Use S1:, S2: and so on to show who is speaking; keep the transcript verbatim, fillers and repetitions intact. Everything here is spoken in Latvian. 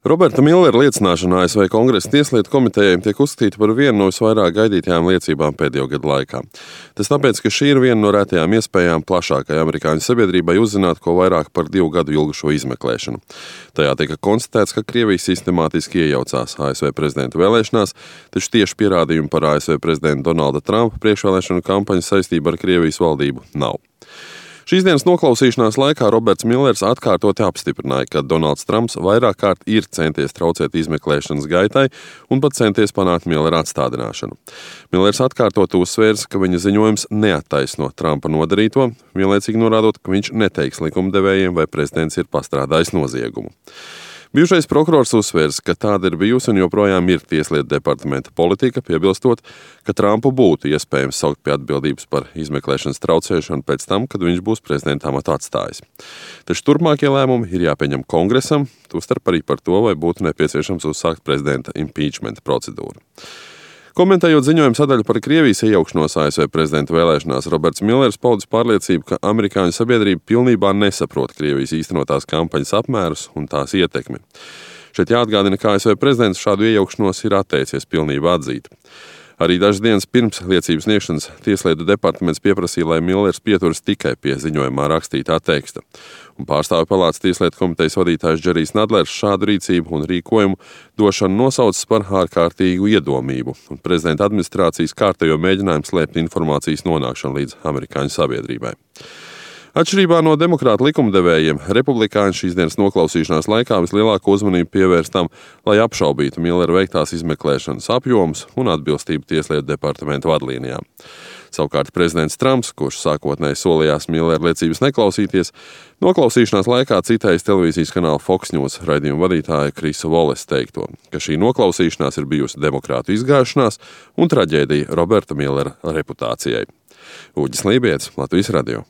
S1: Roberta Millera liecināšana A S V Kongresa tieslietu komitejai tiek uzskatīta par vienu no visvairāk gaidītajām liecībām pēdējo gadu laikā. Tas tāpēc, ka šī ir viena no retajām iespējām plašākai amerikāņu sabiedrībai uzzināt ko vairāk par divu gadu ilgušo izmeklēšanu. Tajā tika konstatēts, ka Krievija sistemātiski iejaucās A S V prezidenta vēlēšanās, taču tieši pierādījumi par A S V prezidenta Donalda Trumpa priekšvēlēšanu kampaņu saistību ar Krievijas valdību nav. Šīs dienas noklausīšanās laikā Roberts Millers atkārtoti apstiprināja, ka Donalds Trumps vairāk kārt ir centies traucēt izmeklēšanas gaitai un pat centies panākt Millera atstādināšanu. Millers atkārtoti uzsvērs, ka viņa ziņojums neattaisno Trumpa nodarīto, vienlaicīgi norādot, ka viņš neteiks likumdevējiem, vai prezidents ir pastrādājis noziegumu. Bijušais prokurors uzsvērs, ka tāda ir bijusi un joprojām ir tieslietu departamenta politika, piebilstot, ka Trumpu būtu iespējams saukt pie atbildības par izmeklēšanas traucēšanu pēc tam, kad viņš būs prezidenta amatu atstājis. Taču turpmākie lēmumi ir jāpieņem Kongresam, tostarp arī par to, vai būtu nepieciešams uzsākt prezidenta impeachment procedūru. Komentējot ziņojumu sadaļu par Krievijas iejaukšanos A S V prezidenta vēlēšanās, Roberts Millers paudis pārliecību, ka amerikāņu sabiedrība pilnībā nesaprot Krievijas īstenotās kampaņas apmērus un tās ietekmi. Šeit jāatgādina, ka A S V prezidents šādu iejaukšanos ir atteicies pilnībā atzīt. Arī dažas dienas pirms liecības sniegšanas tieslietu departaments pieprasīja, lai Millers pieturas tikai pie ziņojumā rakstītā teksta. Un pārstāvju palātas tieslietu komitejas vadītājs Džerijs Nadlers šādu rīcību un rīkojumu došanu nosaucis par ārkārtīgu iedomību un prezidenta administrācijas kārtējo mēģinājumu slēpt informācijas nonākšanu līdz amerikāņu sabiedrībai. Atšķirībā no demokrātu likumdevējiem, republikāņi šīs dienas noklausīšanās laikā vislielāko uzmanību pievērst tam, lai apšaubītu Millera veiktās izmeklēšanas apjomus un atbilstību tieslietu departamenta vadlīnijām. Savukārt prezidents Trumps, kurš sākotnēji solījās Millera liecības neklausīties, noklausīšanās laikā citējis televīzijas kanāla Fox News raidījuma vadītāja Krisa Volesa teikto, ka šī noklausīšanās ir bijusi demokrātu izgāšanās un traģēdija Roberta Millera reputācijai. Uģis Lībijets, Latvijas radio.